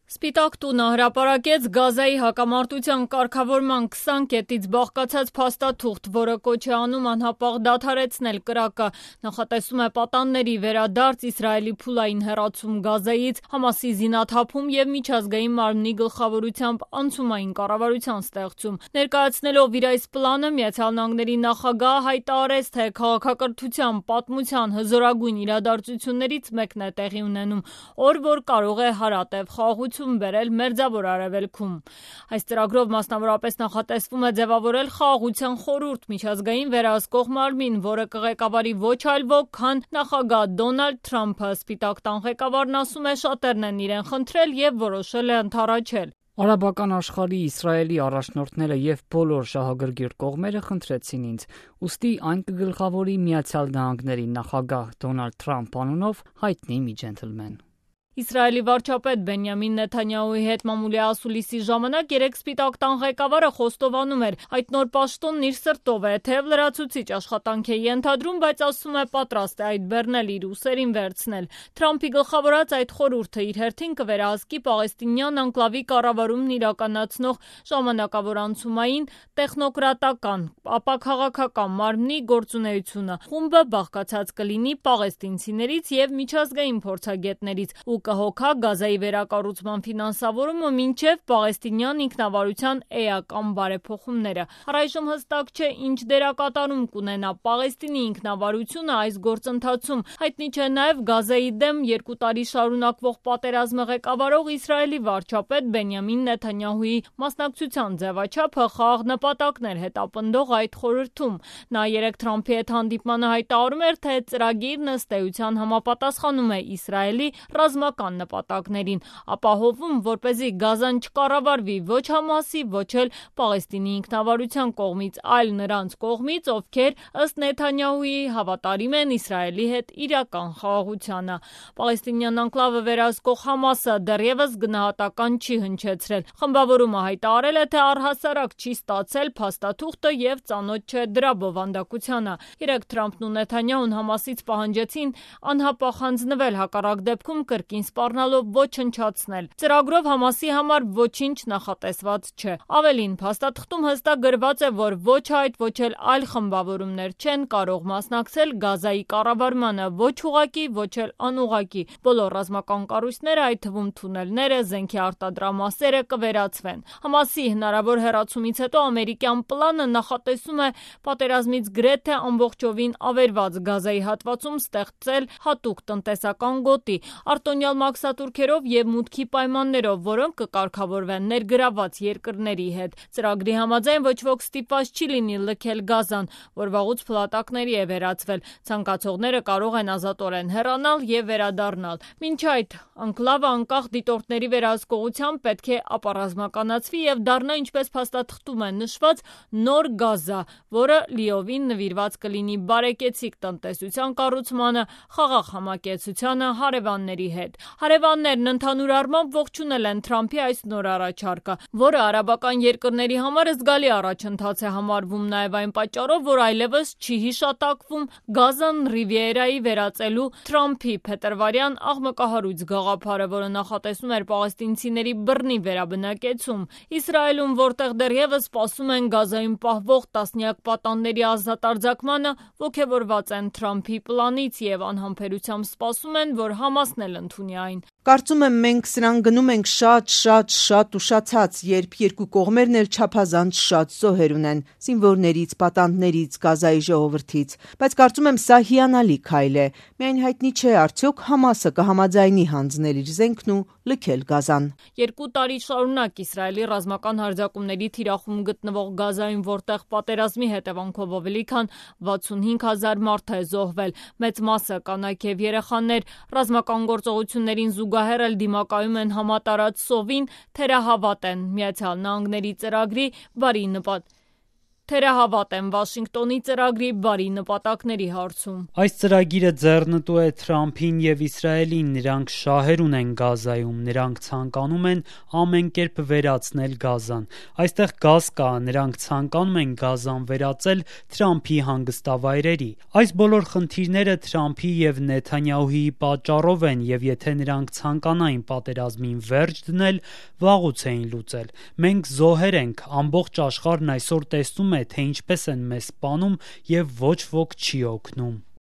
Սպիտակ տունը հրապարակեց Գազայի հակամարտության կարգավորման 20 կետից բաղկացած փաստաթուղթ, որը կոչ է անում անհապաղ դադարեցնել կրակը, նախատեսում է պատանների վերադարձ, Իսրայելի փուլային հեռացում Գազայից, Համասի զինաթափում և միջազգային մարմնի գլխավորությամբ անցումային կառավարության ստեղծում։ Ներկայացնելով իր այս պլանը, ԱՄՆ նախագահը հայտարարեց, թե քաղաքակրթության պատմության հզորագույն իրադարձություններից մեկն է տեղի ունենում, օր, որ կարող է հարատև խաղաղություն բերել Մերձավոր Արևելքում։ Այս ծրագրով մասնավորապես նախատեսվում է ձևավորել խաղաղության խորհուրդ, միջազգային վերահսկող մարմին, որը կղեկավարի ոչ այլ ոք, քան նախագահ Դոնալդ Թրամփը։ Սպիտակ տան ղեկավարն ասում է, շատերն են իրեն խնդրել և որոշել է ընդառաջել։ Արաբական աշխարհի Իսրայելի առաջնորդները և բոլոր շահագրգիռ կողմերը խնդրեցին ինձ, ուստի այն կգլխավորի Միացյալ Նահանգների նախագահ Դոնալդ Թրամփ անունով հայտնի մի ջենթլմեն։ Իսրայելի վարչապետ Բենյամին Նեթանյահուի հետ մամուլի ասուլիսի ժամանակ երեկ Սպիտակ տան ղեկավարը խոստովանում էր, այդ նոր պաշտոնն իր սրտով է, թեև լրացուցիչ աշխատանք է ենթադրում, բայց ասում է պատրաստ է այդ բեռնել իր ուսերին վերցնել։ Թրամփի գլխավորած այդ խորհուրդը իր հերթին կվերահսկի պաղեստինյան անկլավի կառավարումն իրականացնող ժամանակավոր անցումային, տեխնոկրատական, ապա քաղաքական մարմնի գործունեությունը։ Խումբը բաղկացած կլինի պաղեստինցիներից և միջազգային փորձագետներից ու կհոգա Գազայի վերակառուցման ֆինանսավորումը մինչև պաղեստինյան ինքնավարության էական բարեփոխումները։ Առայժմ հստակ չէ, ինչ դերակատարում կունենա Պաղեստինի ինքնավարությունը այս գործընթացում։ Հայտնի չէ նաև Գազայի դեմ 2 տարի շարունակվող պատերազմը ղեկավարող Իսրայելի վարչապետ Բենյամին Նեթանյահուի մասնակցության ձևաչափը խաղաղ նպատակներ հետապնդող այդ խորհրդում։ Նա երեկ Թրամփի հետ հանդիպմանը հայտարարում էր, թե ծրագիրն ըստ էության համապատասխանում է Իսրայելի ռազմական նպատակներին, ապահովում, որպեսզի Գազան չկառավարվի ոչ Համասի, ոչ էլ Պաղեստինի ինքնավարության կողմից, այլ նրանց կողմից, ովքեր ըստ Նեթանյահուի հավատարիմ են Իսրայելի հետ իրական խաղաղությանը։ Պաղեստինյան անկլավը վերահսկող Համասը դեռևս գնահատական չի հնչեցրել։ Խմբավորումը հայտարարել է, թե առհասարակ չի ստացել փաստաթուղթը և ծանոթ չէ դրա բովանդակությանը։ Երեկ Թրամփն ու Նեթանյահուն Համասից պահանջեցին անհապաղ հանձնվել, հակառակ դեպքում կրկին սպառնալով ոչնչացնել։ Ծրագրով Համասի համար ոչինչ նախատեսված չէ։ Ավելին, փաստաթղթում հստակ գրված է, որ ոչ այդ, ոչ էլ այլ խմբավորումներ չեն կարող մասնակցել Գազայի կառավարմանը, ոչ ուղղակի, ոչ էլ անուղղակի։ Բոլոր ռազմական կառույցները, այդ թվում թունելները, զենքի արտադրամասերը կվերացվեն։ Համասի հնարավոր հեռացումից հետո ամերիկյան պլանը նախատեսում է պատերազմից գրեթե ամբողջովին ավերված Գազայի հատվածում ստեղծել հատուկ տնտեսական գոտի, արտոնյալ մաքսատուրքերով և մուտքի պայմաններով, որոնք կկարգավորվեն ներգրավված երկրների հետ։ Ծրագրի համաձայն ոչ ոք ստիպված չի լինի լքել Գազան, որ վաղուց փլատակների է վերածվել։ Ցանկացողները կարող են ազատորեն հեռանալ և վերադառնալ։ Մինչ այդ, անկլավը անկախ դիտորդների վերահսկողությամբ պետք է ապառազմականացվի և դառնա, ինչպես փաստաթղթում է նշված, նոր Գազա, որը լիովին նվիրված կլինի բարեկեցիկ տնտեսության կառուցմանը, խաղաղ համակեցությանը հարևանների հետ։ Հարևաններն ընդհանուր առմամբ ողջունել են Թրամփի այս նոր առաջարկը, որը արաբական երկրների համար զգալի առաջընթաց է համարվում նաև այն պատճառով, որ այլևս չի հիշատակվում Գազան Ռիվիերայի վերածելու Թրամփի փետրվարյան աղմկահարույց գաղափարը, որը նախատեսում էր պաղեստինցիների բռնի վերաբնակեցում։ Իսրայելում, որտեղ դեռևս սպասում են Գազայում պահվող տասնյակ պատանների ազատարձակմանը, ոգևորված են Թրամփի պլանից և անհամբերությամբ սպասում են, որ Համասն էլ ընդունի այն։ Կարծում եմ, մենք սրան գնում ենք շատ ուշացած, երբ երկու կողմերն էլ չափազանց շատ զոհեր ունեն զինվորներից, պատանդներից, Գազայի ժողովրդից, բայց կարծում եմ սա հիանալի քայլ է։ Միայն հայտնի չէ արդյոք Համասը կհամաձայնի հանձնել իր զենքն ու լքել Գազան։ 2 տարի շարունակ Իսրայելի ռազմական հարձակումների թիրախում գտնվող Գազայում, որտեղ պատերազմի հետևանքով ավելի քան 65,000 մարդ է զոհվել, մեծ մասը կանայք և երեխաներ, ռազմական գործողություններին զուգահեռ էլ դիմակայում են համատարած սովին, թերահավատ են Միացյալ Նահանգների ծրագրի բարի նպատակին։ թերահավատ են Վաշինգտոնի ծրագրի բարի նպատակների հարցում։ Այս ծրագիրը ձեռնտու է Թրամփին եւ Իսրայելին, նրանք շահեր ունեն Գազայում, նրանք ցանկանում են ամեն կերպ վերացնել Գազան։ Այստեղ գազ կա, նրանք ցանկանում են Գազան վերածել Թրամփի հանգստավայրերի։ Այս բոլոր խնդիրները Թրամփի եւ Նեթանյահուի պատճառով են, եւ եթե նրանք ցանկանային պատերազմին վերջ դնել, վաղուց էին լուծել։ Մենք զոհեր ենք, ամբողջ աշխարհն այսօր տեսնում է, թե ինչպես են մեզ սպանում եւ ոչ ոք չի օգնում։